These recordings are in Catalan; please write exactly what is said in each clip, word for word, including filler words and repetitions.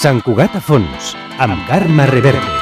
Sant Cugat a fons, amb Carme Reverte.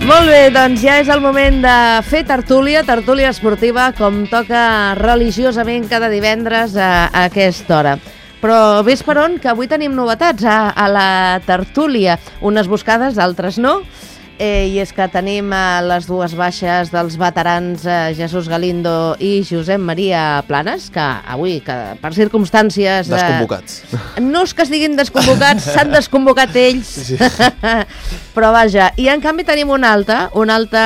Molt bé, doncs ja és el moment de fer tertúlia, tertúlia esportiva, com toca religiosament cada divendres a, a aquesta hora. Però ves per on, que avui tenim novetats a, a la tertúlia, unes buscades, altres no, eh, i és que tenim eh, les dues baixes dels veterans eh, Jesús Galindo i Josep Maria Planes, que avui, que per circumstàncies... Eh, Desconvocats. No és que estiguin desconvocats, s'han desconvocat ells, sí, sí. Però vaja, i en canvi tenim un altre, un altre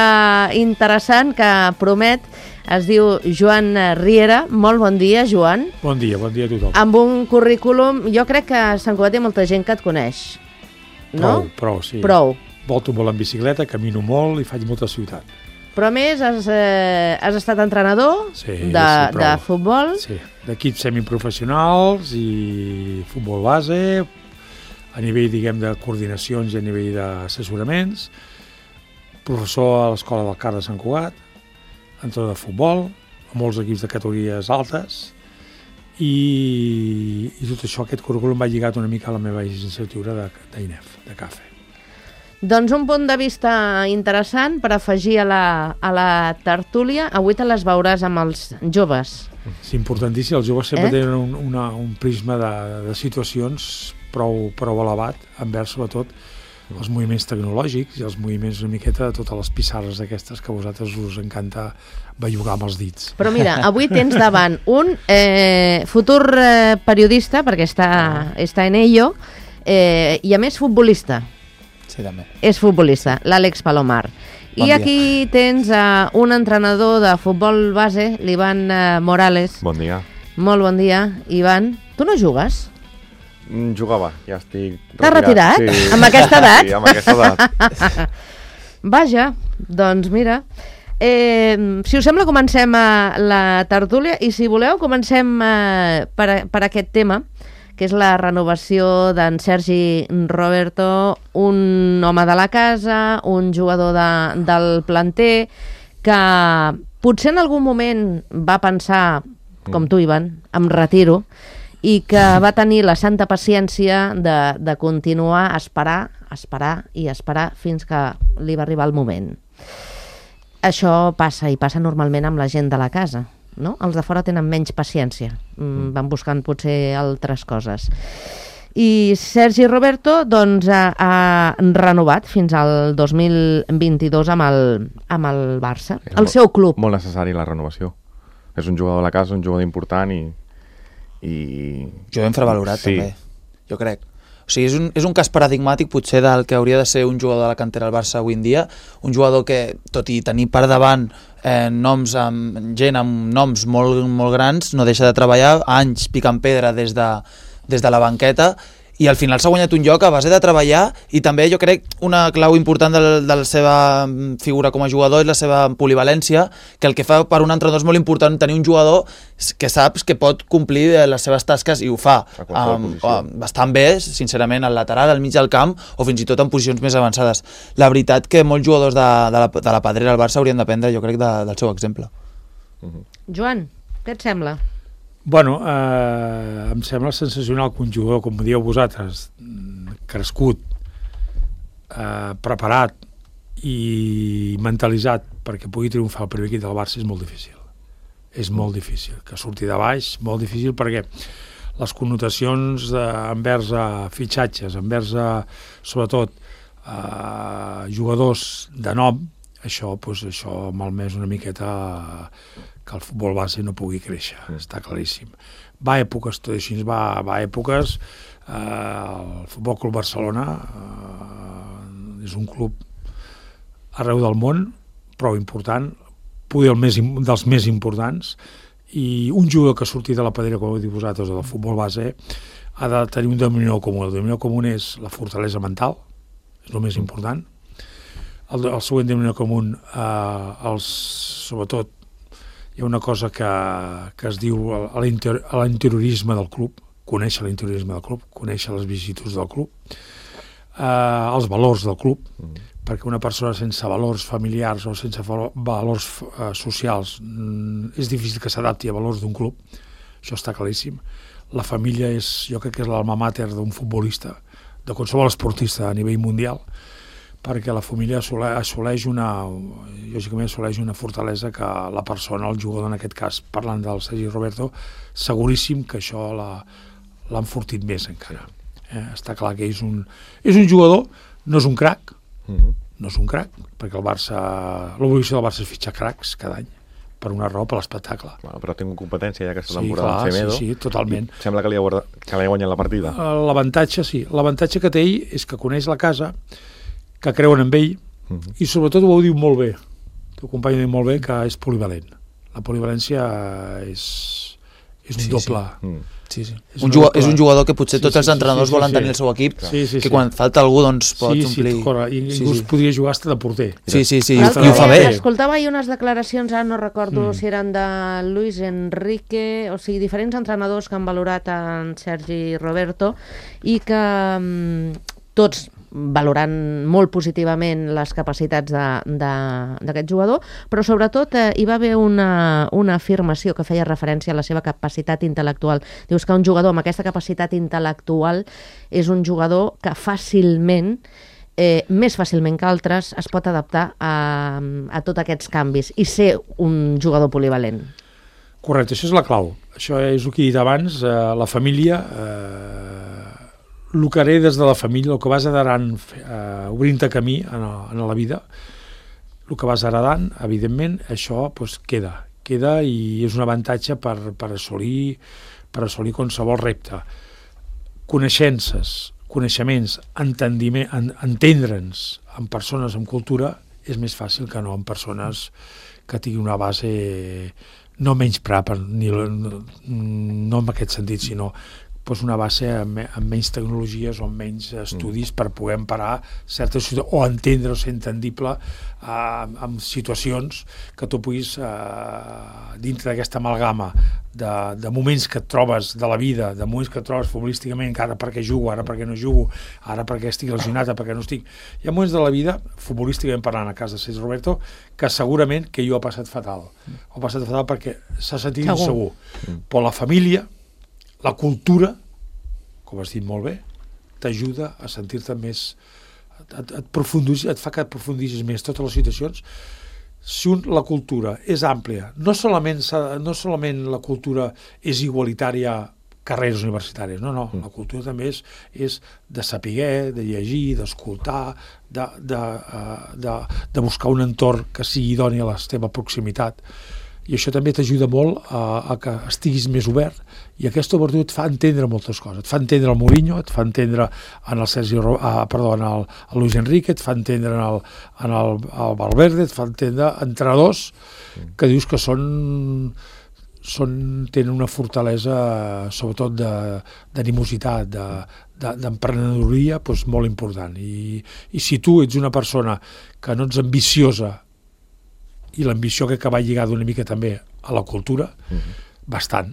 interessant que promet, es diu Joan Riera. Molt bon dia, Joan. Bon dia, bon dia a tothom. Amb un currículum, jo crec que a Sant Cugat hi ha molta gent que et coneix, no? Prou, prou, sí. Prou. Volto molt en bicicleta, camino molt i faig molta ciutat. Però a més has, eh, has estat entrenador sí, de, sí, de futbol. Sí, d'equips semiprofessionals i futbol base, a nivell, diguem, de coordinacions i a nivell d'assessoraments, professor a l'Escola del Car de Sant Cugat, entrenador de futbol, a molts equips de categories altes, i, i tot això, aquest currículum va lligat una mica a la meva llicenciatura d'I N E F, de CAFE. Doncs un punt de vista interessant per afegir a la, a la tertúlia. Avui te les veuràs amb els joves. És importantíssim, els joves sempre eh? tenen un, una, un prisma de, de situacions prou, prou elevat envers, sobretot, els moviments tecnològics i els moviments una miqueta de totes les pissarres aquestes que a vosaltres us encanta bellugar amb els dits. Però mira, avui tens davant un eh, futur eh, periodista, perquè està, està en ello, eh, i a més futbolista. Sí, també. És futbolista, l'Àlex Palomar. Bon I dia. aquí tens uh, un entrenador de futbol base, l'Ivan uh, Morales. Bon dia. Molt bon dia, Ivan. Tu no jugues? Mm, jugava, ja estic retirat. T'has retirat? Sí. Amb aquesta edat? Sí, amb aquesta edat. Vaja, doncs mira... Eh, si us sembla, comencem uh, la tertúlia i si voleu comencem uh, per, per aquest tema, que és la renovació d'en Sergi Roberto, un home de la casa, un jugador de, del planter, que potser en algun moment va pensar, com tu, Ivan, em retiro, i que va tenir la santa paciència de, de continuar a esperar, esperar i esperar fins que li va arribar el moment. Això passa, i passa normalment amb la gent de la casa, no? Els de fora tenen menys paciència, mm, van buscant potser altres coses. I Sergi Roberto doncs, ha, ha renovat fins al dos mil vint-i-dos amb el, amb el Barça, És el molt, seu club. Molt necessari la renovació. És un jugador de la casa, un jugador important i... i... Jo ben infravalorat, sí. també, jo crec. O sigui, és un, és un cas paradigmàtic potser del que hauria de ser un jugador de la cantera del Barça avui en dia, un jugador que, tot i tenir per davant eh, noms amb, gent amb noms molt, molt grans, no deixa de treballar anys picant pedra des de, des de la banqueta, i al final s'ha guanyat un lloc a base de treballar, i també jo crec una clau important de, de la seva figura com a jugador és la seva polivalència, que el que fa per un entrenador és molt important tenir un jugador que saps que pot complir les seves tasques, i ho fa um, bastant bé, sincerament, al lateral, al mig del camp, o fins i tot en posicions més avançades. La veritat que molts jugadors de, de, la, de la pedrera del Barça haurien d'aprendre, jo crec, de, del seu exemple. Uh-huh. Joan, què et sembla? Bueno, eh, em sembla sensacional que un jugador, com dieu vosaltres, crescut, eh, preparat i mentalitzat perquè pugui triomfar el primer equip del Barça és molt difícil. És molt difícil. Que surti de baix, molt difícil, perquè les connotacions de, envers a fitxatges, envers a, sobretot, a jugadors de nom, això, doncs, això ha malmès una miqueta que el futbol base no pugui créixer, està claríssim. Va a èpoques, tot així, va, va a èpoques, eh, el Futbol Club Barcelona eh, és un club arreu del món, prou important, poder el més, dels més importants, i un jugador que ha sortit de la pedrera, com heu dit vosaltres, del futbol base, ha de tenir un denominador comú. El denominador comú és la fortalesa mental, és el més important. El, el següent denominador comú, eh, els, sobretot, hi ha una cosa que, que es diu l'interiorisme del club, conèixer l'interiorisme del club, conèixer les vicissituds del club, eh, els valors del club, mm. perquè una persona sense valors familiars o sense valors eh, socials mm, és difícil que s'adapti a valors d'un club, això està claríssim. La família és, jo crec que és l'alma mater d'un futbolista, de qualsevol esportista a nivell mundial, perquè la família assoleix una, lògicament assoleix una fortalesa que la persona, el jugador en aquest cas, parlant del Sergi Roberto, seguríssim que això l'ha enfortit més encara. Eh, està clar que és un, és un jugador, no és un crac, mm-hmm. no és un crac, perquè el Barça, l'obligació del Barça és fitxar cracs cada any, per una raó, per l'espectacle. Bueno, però ha tingut competència ja aquesta sí, temporada clar, amb Semedo. Sí, sí, totalment. I sembla que li ha, guardat, que li ha guanyat la partida. L'avantatge, sí. L'avantatge que té ell és que coneix la casa, que creuen en ell, uh-huh. i sobretot ho diu molt bé. El teu company diu molt bé que és polivalent. La polivalència és, és un sí, doble... Sí. Mm. Sí, sí. És, un jugador, és un jugador que potser sí, tots sí, els entrenadors sí, sí, volen sí, tenir el seu equip, sí, sí, que sí. quan falta algú doncs pot sí, omplir... Sí, corre. I inclús sí, sí. podria jugar hasta de porter. Sí, sí, sí, i ho, ho fa bé. Escoltava ahir unes declaracions, ara no recordo mm. si eren de Luis Enrique, o sigui, diferents entrenadors que han valorat en Sergi Roberto i que mm, tots valorant molt positivament les capacitats d'aquest jugador, però sobretot eh, hi va haver una, una afirmació que feia referència a la seva capacitat intel·lectual. Dius que un jugador amb aquesta capacitat intel·lectual és un jugador que fàcilment, eh, més fàcilment que altres, es pot adaptar a, a tots aquests canvis i ser un jugador polivalent. Correcte, això és la clau. Això és el que he dit abans, eh, la família... Eh, el que heré des de la família, el que vas heredant eh, obrint-te camí en, en la vida, el que vas heredant, evidentment, això pues, queda, queda i és un avantatge per, per, assolir, per assolir qualsevol repte. Coneixences, coneixements, entendiment, en, entendre'ns amb persones amb cultura és més fàcil que no amb persones que tinguin una base no menys prapa, ni, no, no en aquest sentit, sinó pues una base amb, amb menys tecnologies o amb menys estudis mm. per poder emparar certes situacions o entendre o ser entendible eh, amb situacions que tu puguis eh, dintre d'aquesta amalgama de, de moments que et trobes de la vida, de moments que et trobes futbolísticament, que ara perquè jugo, ara perquè no jugo, ara perquè estic lesionat, ara perquè no estic... Hi ha moments de la vida, futbolísticament parlant a casa de Sergi Roberto, que segurament que jo he passat fatal. Ho he passat fatal perquè s'ha sentit insegur. Mm. Però la família, la cultura, com has dit molt bé, t'ajuda a sentir-te més, et, et, et fa que et aprofundis més totes les situacions. Si un, la cultura és àmplia, no solament, no solament la cultura és igualitària carreres universitàries, no, no, la cultura també és, és de saber, de llegir, d'escoltar, de, de, de, de buscar un entorn que sigui idoni a la teva proximitat. I això també t'ajuda molt a, a que estiguis més obert i aquesta obertura et fa entendre moltes coses. Et fa entendre el Mourinho, et fa entendre en el Sergi, ah, perdó, en el, el Luis Enrique, et fa entendre en el, en el, el Valverde, et fa entendre entrenadors que dius que són, són tenen una fortalesa sobretot d'animositat, de, de, d'emprenedoria doncs, molt important. I, I si tu ets una persona que no ets ambiciosa i l'ambició que va lligada una mica també a la cultura, uh-huh. bastant,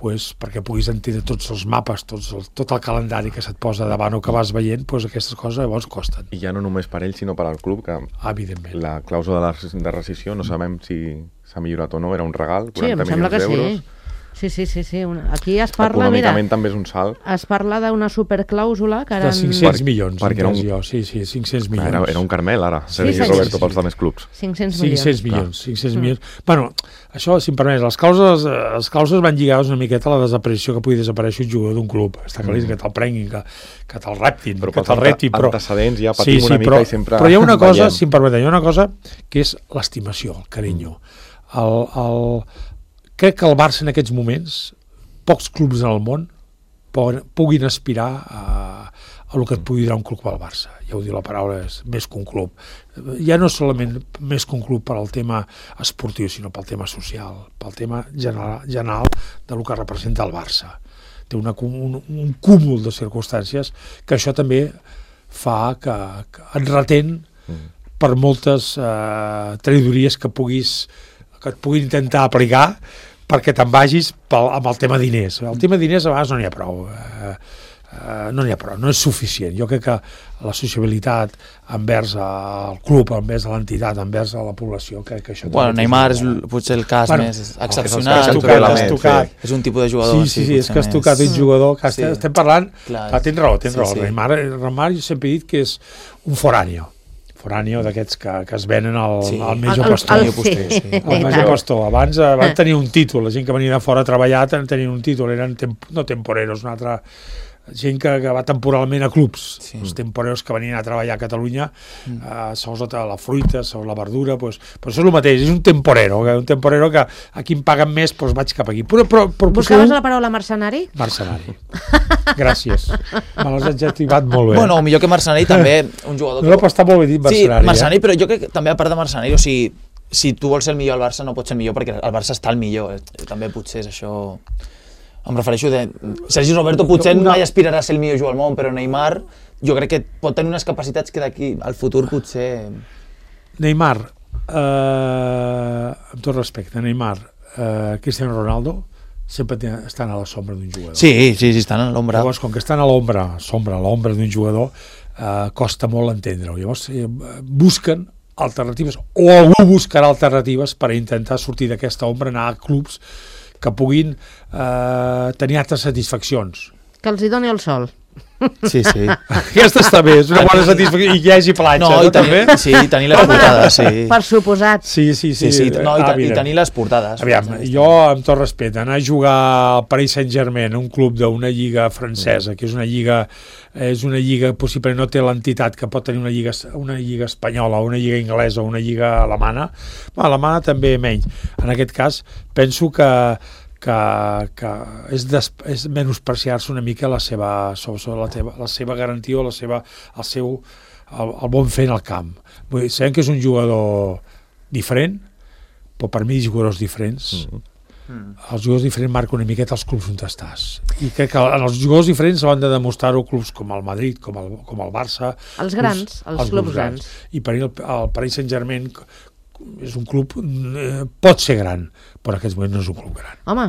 pues, perquè puguis entendre tots els mapes, tots el, tot el calendari que se't posa davant o que vas veient, pues, aquestes coses llavors costen. I ja no només per ell, sinó per al club, que evidentment. La clàusula de, de rescisió, no sabem si s'ha millorat o no, era un regal, quaranta milions d'euros. Sí, Sí, sí, sí, sí. Una... Aquí es parla, mira... Econòmicament també és un salt. Es parla d'una superclàusula que De eren... cinc-cents milions, perquè era un- jo. Sí, sí, cinc-cents milions. Era, era un Carmel, ara. Sí, Sergi senyor. Roberto pels altres clubs. cinc-cents milions. cinc-cents milions, cinc-cents milions. Bueno, això, si em permets, les causes, les causes van lligades una miqueta a la desaparició que pugui desaparèixer un jugador d'un club. Està clar que te'l prenguin, que, que te'l reptin, Però que pels te'l reptin. Però... antecedents ja patim una mica però, i sempre però hi ha una cosa, veiem. si em permeteu, hi ha una cosa que és l'estimació, el carinyo. El, el... Crec que el Barça en aquests moments, pocs clubs en el món puguin aspirar a, a el que et pugui donar un club al Barça. Ja ho diu la paraula, és més que un club. Ja no solament més que un club per al tema esportiu, sinó pel tema social, pel tema general, general del que representa el Barça. Té una, un, un cúmul de circumstàncies que això també fa que, que et retén per moltes eh, traïdories que puguis que et puguin intentar aplicar perquè te'n vagis pel, amb el tema diners. El tema diners a vegades no n'hi ha prou. Eh, eh, no n'hi ha prou, no és suficient. Jo crec que la sociabilitat envers el club, envers l'entitat, envers la població, crec que això... Bueno, Neymar és l- potser el cas Bueno, més és excepcional. has tu tocat, que has sí. tocat. És un tipus de jugador. Sí, sí, sí, és potser que has més- tocat un jugador que Sí. sí. estem parlant... Clar. Clar, tens raó, tens Sí, raó. sí. Neymar, Neymar jo sempre he dit que és un foráneo. Foráneo d'aquests que, que es venen al, Sí. al Major El- el- Pastor. el- sí. El Major Pastor. Abans eh, van tenir un títol, la gent que venia de fora a treballar ten- tenien un títol, eren temp no temporeros, una altra gent que, que va temporalment a clubs, Sí. els temporeros que venien a treballar a Catalunya, mm. eh, segons la, la fruita, segons la verdura, pues, però això és el mateix, és un temporero, que, un temporero que aquí em paguen més, doncs vaig cap aquí. Però, però, però Buscaves potser la paraula mercenari? un mercenari. Gràcies. Me l'has adjectivat molt bé. Bueno, o millor que mercenari també un jugador... no, però està molt bé dit Sí, mercenari. mercenari, però jo crec que també a part de mercenari, o sigui, si tu vols ser el millor al Barça no pots ser el millor perquè el Barça està el millor. Eh? També potser és això... Em refereixo de... Sergi Roberto potser Una- mai aspirarà a ser el millor jugador al món, però Neymar jo crec que pot tenir unes capacitats que d'aquí al futur potser... Eh? Neymar, eh, amb tot respecte, Neymar, eh, Cristiano Ronaldo, sempre te- estan a la sombra d'un jugador. Sí, sí, sí, estan a l'ombra. Llavors, com que estan a l'ombra, sombra, a l'ombra d'un jugador, eh, costa molt entendre-ho. Llavors, eh, busquen alternatives, o algú buscarà alternatives per intentar sortir d'aquesta ombra, anar a clubs que puguin eh, tenir altres satisfaccions. Que els hi doni el sol. Sí, sí. Aquesta està bé, és una bona satisfacció. I que hi hagi platja, No, no, i tenir, també? sí, tenir les portades, sí. Per suposat. Sí, sí, Sí, sí. sí, no, i, Ah, te- i mira. tenir les portades. Aviam, jo, amb tot respecte, anar a jugar al Paris Saint-Germain, un club d'una lliga francesa, que és una lliga és una lliga, possiblement no té l'entitat que pot tenir una lliga, una lliga espanyola, o una lliga inglesa, o una lliga alemana, bueno, alemana també menys. En aquest cas, penso que que, que és, des, és menospreciar-se una mica la seva, sobre la, teva, la seva garantia o la seva, el seu el, el bon fer en el camp. Vull dir, sabem que és un jugador diferent, però per mi jugadors diferents mm-hmm. els jugadors diferents marquen una miqueta els clubs on estàs. I crec que en els jugadors diferents han de demostrar-ho clubs com el Madrid, com el, com el Barça. Els grans, els, els clubs grans. I per mi el, el Paris Saint-Germain és un club, eh, pot ser gran, però en aquests moments no és un club gran. Home,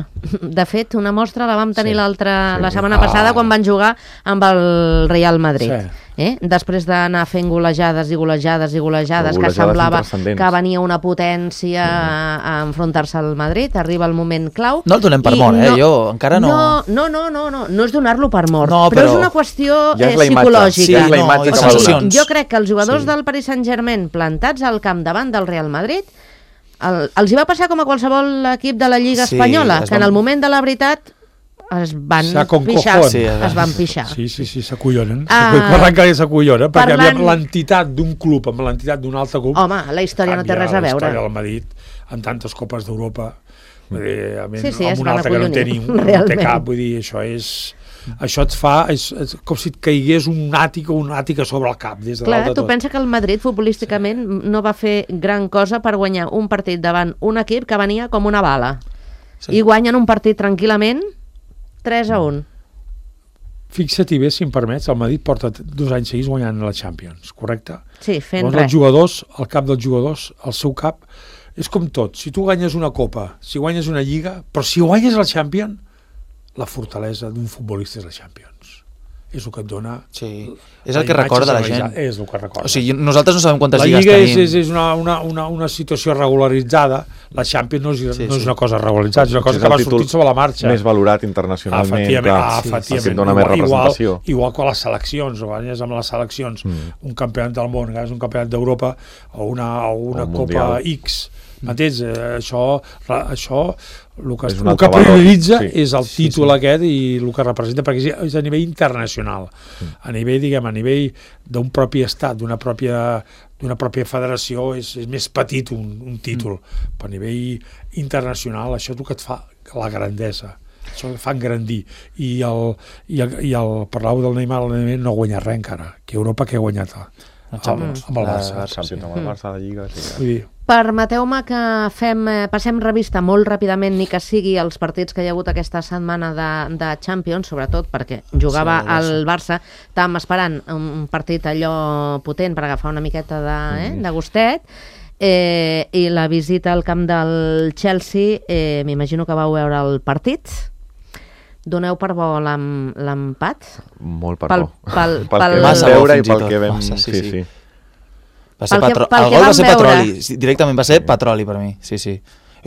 de fet, una mostra la vam tenir Sí. l'altra, Sí. la setmana Ah. passada quan van jugar amb el Real Madrid. Sí. Eh? Després d'anar fent golejades i golejades i golejades, Però que golejades semblava intranscendents. que venia una potència a, a enfrontar-se al Madrid, arriba el moment clau. No el donem per i mort, eh? Jo encara no... No, no, no, no, no, no és donar-lo per mort, No, però, però és una qüestió ja és eh, la imatge. psicològica. Sí, és la no, imatge i que O va sigui, donar. sensacions. jo crec que els jugadors Sí. del Paris Saint-Germain plantats al camp davant del Real Madrid el, els hi va passar com a qualsevol equip de la Lliga Sí, Espanyola, es que en van- el moment de la veritat es van Sa con pixar. cojón. Sí, es van pixar. Sí, sí, sí, s'acollonen. Ah, Parlant que s'acollonen, perquè parlant- aviam, l'entitat d'un club amb l'entitat d'un altre club... Home, la història no té canvia res a la veure. història del Madrid, amb tantes copes d'Europa, vull dir, amb, Sí, sí, amb es un van altre que no té, ni, acollonir, no té realment. cap, vull dir, això és... Això et fa, és, és com si et caigués un àtic o un àtic a sobre el cap, des de Clar, dalt de tu tot. pensa que el Madrid futbolísticament no va fer gran cosa per guanyar un partit davant un equip que venia com una bala. Sí. I guanyen un partit tranquil·lament tres a un. Fixa-t'hi bé, si em permets, el Madrid porta dos anys seguits guanyant la Champions, correcte? Sí, fent Llavors, res. els jugadors, al cap dels jugadors, el seu cap, és com tot. Si tu guanyes una copa, si guanyes una lliga, però si guanyes la Champions, la fortalesa d'un futbolista és la Champions. és el que et dona... Sí, és el que recorda la gent. És el que recorda. O sigui, nosaltres no sabem quantes la lligues Lliga tenim. és, és una, una, una, una situació regularitzada, la Champions no és, sí, no és sí. una cosa regularitzada, és una cosa és que va sortint sobre la marxa. Més valorat internacionalment, efectivament, clar, ah, efectivament. el que et dona més representació. Igual, igual que les seleccions, o guanyes amb les seleccions, mm. un campionat del món, és un campionat d'Europa o una, o una o Copa X, m'entens? Eh, això, això el que, el que prioritza sí. és el títol sí, sí. aquest i el que representa, perquè és a nivell internacional, mm. a nivell, diguem, a nivell d'un propi estat, d'una pròpia, d'una pròpia federació, és, és més petit un, un títol, mm. però a nivell internacional això és el que et fa la grandesa, això et fa engrandir. I el, i el, i el parlau del Neymar, el Neymar no ha guanyat res encara, que Europa que ha guanyat amb, amb el Barça. Sí. Amb el Barça, la Lliga, sí. Vull dir, permeteu-me que fem, passem revista molt ràpidament, ni que sigui els partits que hi ha hagut aquesta setmana de, de Champions, sobretot perquè jugava sí, el, el Barça. Estàvem esperant un partit allò potent per agafar una miqueta de, eh, de gustet, eh, i la visita al camp del Chelsea, eh, m'imagino que vau veure el partit. Doneu per bo l'empat? Molt per pel, bo. Pel, pel, pel pel, que vam veure i pel que vam... Massa, sí, sí. sí. Va ser pel patro... que, pel el gol va ser veure. petroli, directament va ser petroli per mi, sí, sí.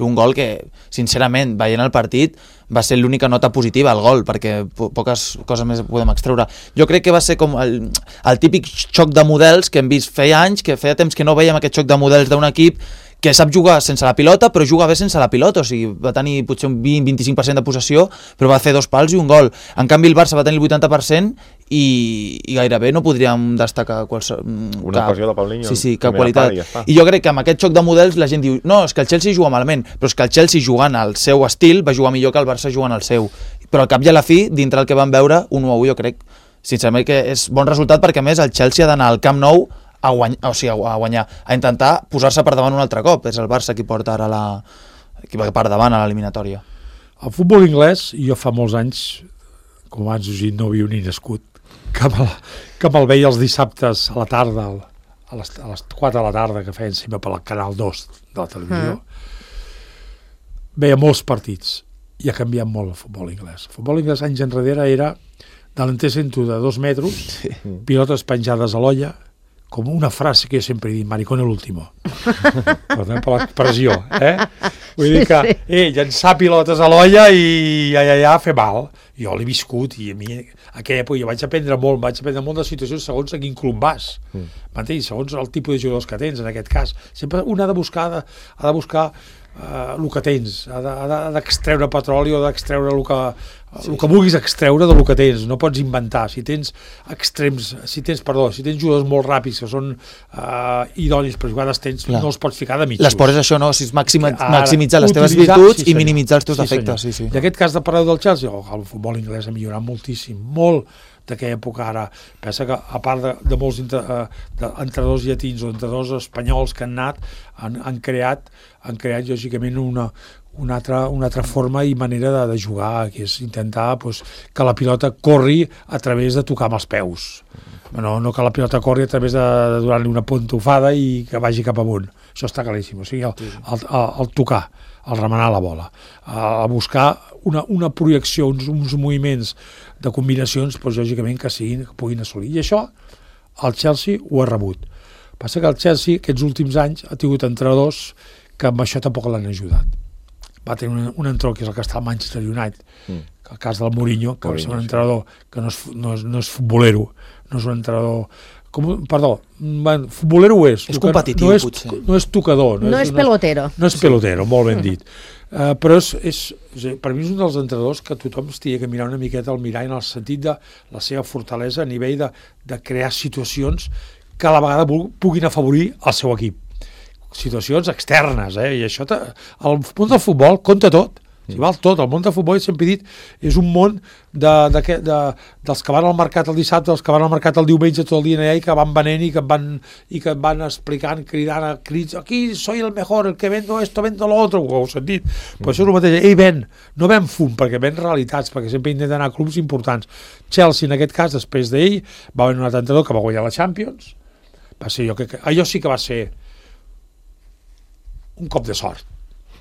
Un gol que, sincerament, veient el partit, va ser l'única nota positiva, el gol, perquè po poques coses més podem extreure. Jo crec que va ser com el, el típic xoc de models que hem vist feia anys, que feia temps que no veiem aquest xoc de models d'un equip que sap jugar sense la pilota, però juga bé sense la pilota, o sigui, va tenir potser un vint a vint-i-cinc per cent de possessió, però va fer dos pals i un gol. En canvi, el Barça va tenir el vuitanta per cent i, i gairebé no podríem destacar qualsevol... Una ocasió de Paulinho. Sí, sí, cap qualitat. I, ja I jo crec que amb aquest xoc de models la gent diu no, és que el Chelsea juga malament, però és que el Chelsea jugant al seu estil va jugar millor que el Barça jugant al seu. Però al cap i a la fi, dintre el que vam veure, un u a u jo crec, sincerament, que és bon resultat perquè a més el Chelsea ha d'anar al Camp Nou a guanyar, o sigui, a guanyar, a intentar posar-se per davant un altre cop. És el Barça qui porta ara la... qui va per davant a l'eliminatòria. El futbol anglès, jo fa molts anys, com abans us he dit, no havia ni nascut, que me'l, que me'l veia els dissabtes a la tarda, a les, a les quatre de la tarda, que feien sempre pel Canal dos de la televisió. Mm. Veia molts partits i ha canviat molt el futbol anglès. El futbol anglès anys enrere era delantero de dos metres, sí. pilotes penjades a l'olla, com una frase que jo sempre he dit, maricón el último. Per l'expressió, eh? Vull dir que, eh, llançar pilotes a l'olla i ja, ja, ja, fer mal. Jo l'he viscut i a mi, a aquella època, jo vaig aprendre molt, vaig aprendre molt de situacions segons a quin club vas. Mm. M'entens? Segons el tipus de jugadors que tens, en aquest cas. Sempre un ha de buscar, ha de, ha de buscar uh, el que tens, ha d'extreure petroli o d'extreure el que, sí. el que vulguis extreure del que tens, no pots inventar. Si tens extrems, si tens, perdó, si tens jugadors molt ràpids que són uh, idonis per jugar tens, Clar. no els pots ficar de mitjos. L'esport és això, no? Si és maxima, maximitzar les teves virtuts sí, i minimitzar els teus sí, defectes. Sí, sí. I en aquest cas de parlar del Chelsea, oh, el futbol anglès ha millorat moltíssim, molt d'aquella època ara. Pensa que a part de, de molts entrenadors llatins o entrenadors espanyols que han anat, han, han creat, han creat lògicament una una altra, una altra forma i manera de, de jugar, que és intentar pues, que la pilota corri a través de tocar amb els peus. No, no que la pilota corri a través de, de donar-li una pontofada i que vagi cap amunt. Això està claríssim. O sigui, el, el, el, el tocar, el remenar la bola, a buscar una, una projecció, uns, uns moviments de combinacions, pues, lògicament, que, siguin, que puguin assolir. I això el Chelsea ho ha rebut. Passa que el Chelsea, aquests últims anys, ha tingut entrenadors que amb això tampoc l'han ajudat. Va tenir un, un entrenador que és el que està al Manchester United, mm. que el cas del Mourinho, que Mourinho, va ser un entrenador sí. que no és, no, és, no és futbolero, no és un entrenador... Com, perdó, bueno, futbolero ho és. És competitiu, no és, potser. No és tocador. No, no és, és pelotero. No, no és pelotero, molt ben dit. Uh, però és, és, per mi és un dels entrenadors que tothom es tia que mirar una miqueta al mirall en el sentit de la seva fortalesa a nivell de, de crear situacions que a la vegada puguin afavorir el seu equip. Situacions externes, eh? I això, el món del futbol compta tot, si val tot. El món del futbol, sempre he dit, és un món de, de, de, dels que van al mercat el dissabte, dels que van al mercat el diumenge tot el dia allà i que van venent i que van, i que van explicant, cridant a crits, aquí soy el mejor, el que vendo esto, vendo lo otro, ho heu sentit. Però això és el mateix, ei, ven, no ven fum, perquè ven realitats, perquè sempre intenten anar a clubs importants. Chelsea, en aquest cas, després d'ell, va venir un altre entrenador que va guanyar la Champions, va ser jo que... Allò sí que va ser un cop de sort,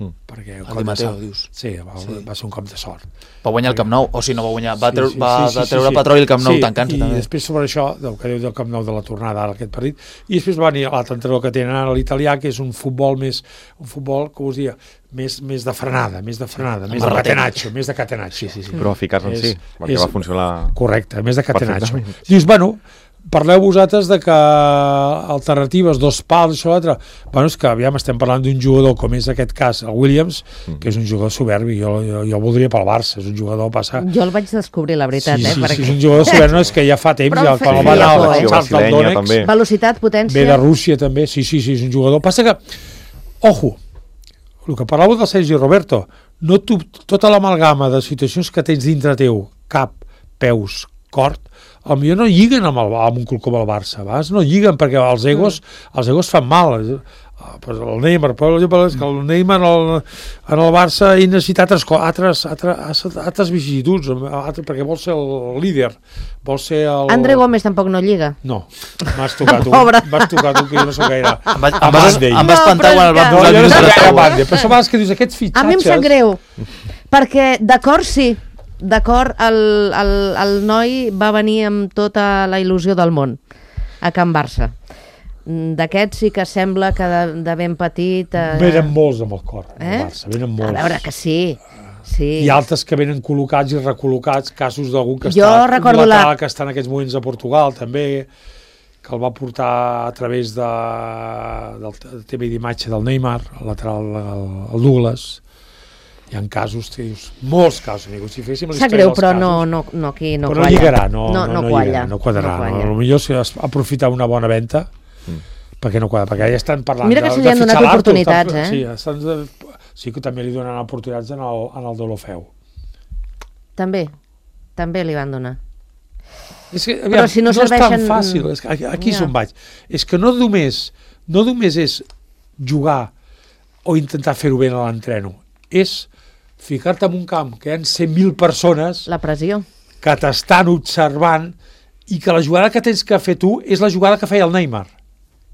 Mm. Perquè El Di Matteo, dius. Sí, va, Sí. va ser un cop de sort. Va guanyar el Camp Nou, o si no va guanyar, va, treu, Sí, sí, va sí, sí, de treure sí, sí. Petroli el Camp Nou Sí, tancant-se i també. després sobre això, del que diu del Camp Nou de la tornada ara aquest partit, i després va venir l'altre entrenador que tenen ara l'italià, que és un futbol més, un futbol, com us dia, més, més de frenada, més de frenada, més de Marratell. catenaccio, més de catenaccio. Sí, sí, sí. Però eficaç en És- sí, perquè és- va funcionar... Correcte, més de catenaccio. Perfectament. Dius, bueno, parleu vosaltres de que alternatives, dos pals, això, l'altre. Bueno, és que aviam, estem parlant d'un jugador com és aquest cas, el Williams, Mm. que és un jugador soberbi, jo, jo, jo el voldria pel Barça, és un jugador passa... Jo el vaig descobrir, la veritat, sí, eh? sí, perquè... sí, és un jugador soberbi, no, és que ja fa temps, Però ja, em quan feia el va anar por, al eh? Charles del Brasilenya, Donetsk, també. Velocitat, potència... ve de Rússia també, sí, sí, sí, és un jugador. Passa que, ojo, el que parlàveu del Sergi Roberto, no tu, tota l'amalgama de situacions que tens dintre teu, cap, peus, cor, potser no lliguen amb, el, amb un club com el Barça, vas? No lliguen perquè els egos, mm. els egos fan mal. Ah, pues el Neymar, però és que el Neymar en el, en el Barça ell necessita altres, altres, altres, altres vicissituds, altres, perquè vol ser el líder, vol ser el... André Gómez tampoc no lliga. No, m'has tocat tu, Pobre. m'has tocat tu, que jo no soc gaire... Em vas, A em vas, Bande. em vas No, espantar però quan el van és que- posar No, al jo no mig de soc la gaire taula. Bande, però això a vegades que dius aquests fitxatges... A mi em sap greu, perquè d'acord sí, d'acord el, el, el noi va venir amb tota la il·lusió del món a Can Barça. D'aquests sí que sembla que de, de ben petit... Eh, Venen molts amb el cor, eh? el Barça, venen molts. A veure, que sí, sí. I altres que venen col·locats i recol·locats, casos d'algun que Jo està recordo lateral, la- que està en aquests moments a Portugal, també, que el va portar a través de, del T V d'imatge del Neymar, el lateral, el, el Douglas. Hi ha casos, que dius, molts casos, amics. Si féssim la Sap història greu, dels però casos, no, no, no, aquí no però qualla. no lligarà, no, no, no, no, qualla. lligarà, no quadrarà. No No, qualla. potser si es aprofitar una bona venda, Mm. perquè no quadra, perquè ja estan parlant Mira que de, se li de han donat fitxar l'Artur, oportunitats, estan- eh? Sí, estan, de, sí que també li donen oportunitats en el, en el Deulofeu. També, també li van donar. És que, Però si no no és tan serveixen- fàcil, és que aquí, aquí Ja. és on vaig. És que no només, no només és jugar o intentar fer-ho bé a l'entreno, és ficar-te en un camp que hi ha cent mil persones La pressió. que t'estan observant i que la jugada que tens que fer tu és la jugada que feia el Neymar,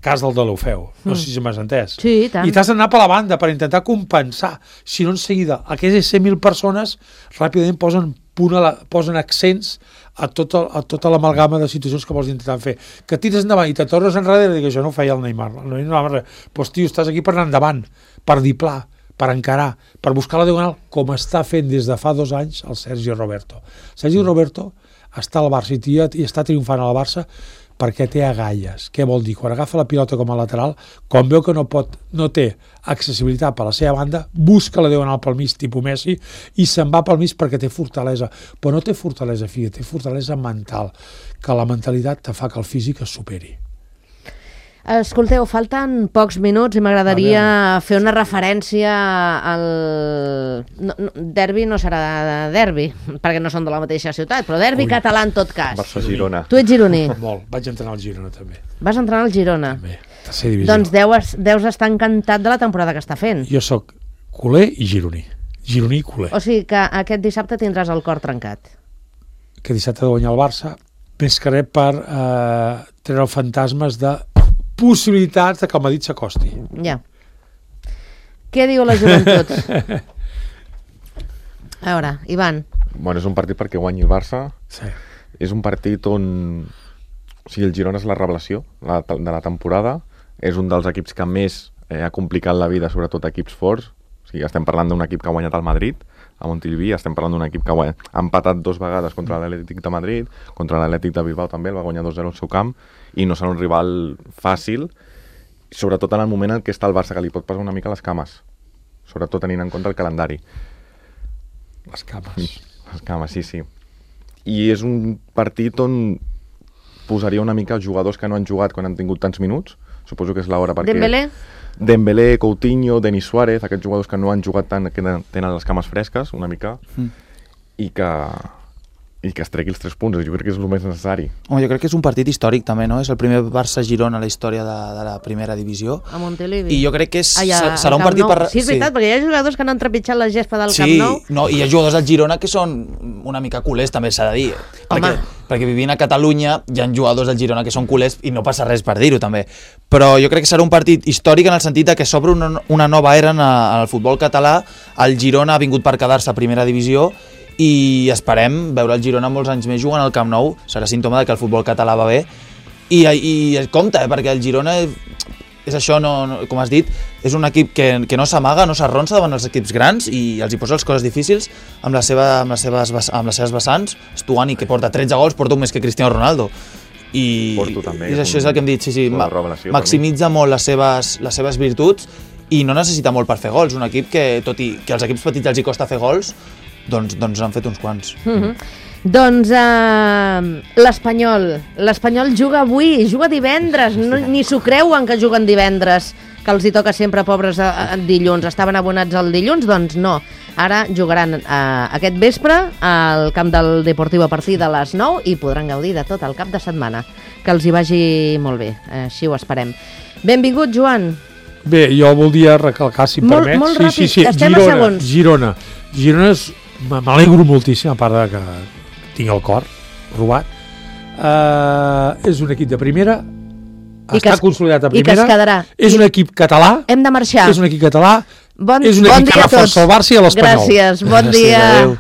cas del Deulofeu. No sé si m'has entès. Sí, i tant. I t'has d'anar per la banda per intentar compensar. Si no, en seguida, aquestes cent mil persones ràpidament posen, punt a la, posen accents a tota, a tota l'amalgama de situacions que vols intentar fer. Que tires endavant i te tornes enrere i dic, això no ho feia el Neymar. El Neymar no anava res. Pues, tio, estàs aquí per anar endavant, per dir pla, per encarar, per buscar la diagonal, com està fent des de fa dos anys el Sergi Roberto. Sergi Roberto està al Barça i, tia, i està triomfant al Barça perquè té agalles. Què vol dir? Quan agafa la pilota com a lateral, quan veu que no pot, no té accessibilitat per la seva banda, busca la diagonal pel mig, tipus Messi, i se'n va pel mig perquè té fortalesa. Però no té fortalesa física, té fortalesa mental, que la mentalitat te fa que el físic es superi. Escolteu, falten pocs minuts i m'agradaria fer una referència al... No, no, derbi no serà de derbi, perquè no són de la mateixa ciutat, però derbi Ui. català en tot cas. Barça-Girona. Tu ets gironí, Molt. Vaig entrenar al Girona, també. vas entrenar al Girona. també. Tercera divisió. Doncs deus, deus estar encantat de la temporada que està fent. Jo sóc culer i gironí. Gironí i culer. O sigui que aquest dissabte tindràs el cor trencat. Que dissabte de guanyar el Barça, més que res per eh, treure fantasmes de possibilitats de que el Madrid s'acosti. Ja. Què diu la joventut? A veure, Ivan. Bueno, és un partit perquè guanyi el Barça. Sí. És un partit on... O sigui, el Girona és la revelació la, de la temporada. És un dels equips que més eh, ha complicat la vida, sobretot equips forts. O sigui, estem parlant d'un equip que ha guanyat el Madrid, a Montilivi, estem parlant d'un equip que ha, ha empatat dos vegades contra l'Atlètic de Madrid, contra l'Atlètic de Bilbao també, el va guanyar dos zero al seu camp, i no serà un rival fàcil, sobretot en el moment en què està el Barça, que li pot passar una mica les cames, sobretot tenint en compte el calendari. Les cames. Les cames, sí, sí. I és un partit on posaria una mica els jugadors que no han jugat quan han tingut tants minuts, suposo que és l'hora perquè... Dembélé? Dembélé, Coutinho, Denis Suárez, aquests jugadors que no han jugat tant, que tenen les cames fresques, una mica, Mm. i que i que es tregui els tres punts, jo crec que és el més necessari. Home, jo crec que és un partit històric també, no? És el primer Barça-Girona a la història de, de la primera divisió. A Montilivi. I jo crec que és, Ai, a- se- al serà un Camp partit Nou. per... Sí, és veritat, perquè hi ha jugadors que han trepitjat la gespa del Sí, Camp Nou. no, i hi ha jugadors del Girona que són una mica culers, també s'ha de dir. Perquè perquè vivint a Catalunya hi ha jugadors del Girona que són culers i no passa res per dir-ho també, però jo crec que serà un partit històric en el sentit de que s'obre una, una nova era en, a, en el futbol català. El Girona ha vingut per quedar-se a primera divisió i esperem veure el Girona molts anys més jugant al Camp Nou. Serà símptoma de que el futbol català va bé i, i compte, eh, perquè el Girona és això, no, no, com has dit, és un equip que, que no s'amaga, no s'arronsa davant els equips grans i els hi posa les coses difícils amb, la seva, amb, les, seves, amb les seves vessants. Stuani, que porta tretze gols, porta un més que Cristiano Ronaldo. I, Porto, també, i això és el que hem dit, sí, sí, ma, maximitza per molt les seves, les seves virtuts i no necessita molt per fer gols. Un equip que, tot i que als equips petits els hi costa fer gols, doncs, doncs han fet uns quants. Mm-hmm. Doncs uh, l'Espanyol. L'Espanyol juga avui, juga divendres. No, ni s'ho creuen que juguen divendres, que els hi toca sempre, pobres, a, a dilluns. Estaven abonats el dilluns? Doncs no. Ara jugaran uh, aquest vespre al camp del Deportiu a partir de les nou i podran gaudir de tot el cap de setmana. Que els hi vagi molt bé, així ho esperem. Benvingut, Joan. Bé, jo voldria recalcar, si em molt, permets. Molt ràpid, sí, sí, sí. estem Girona, a segons. Girona. Girona és... M'alegro moltíssim, a part de que tinc el cor robat. Uh, és un equip de primera, I està es, consolidat a primera. I que es quedarà. És un equip català. Hem de marxar. És un equip català. Bon, és un bon equip dia que reforça el Barça i l'Espanyol. Gràcies, bon Gràcies, dia. adeu.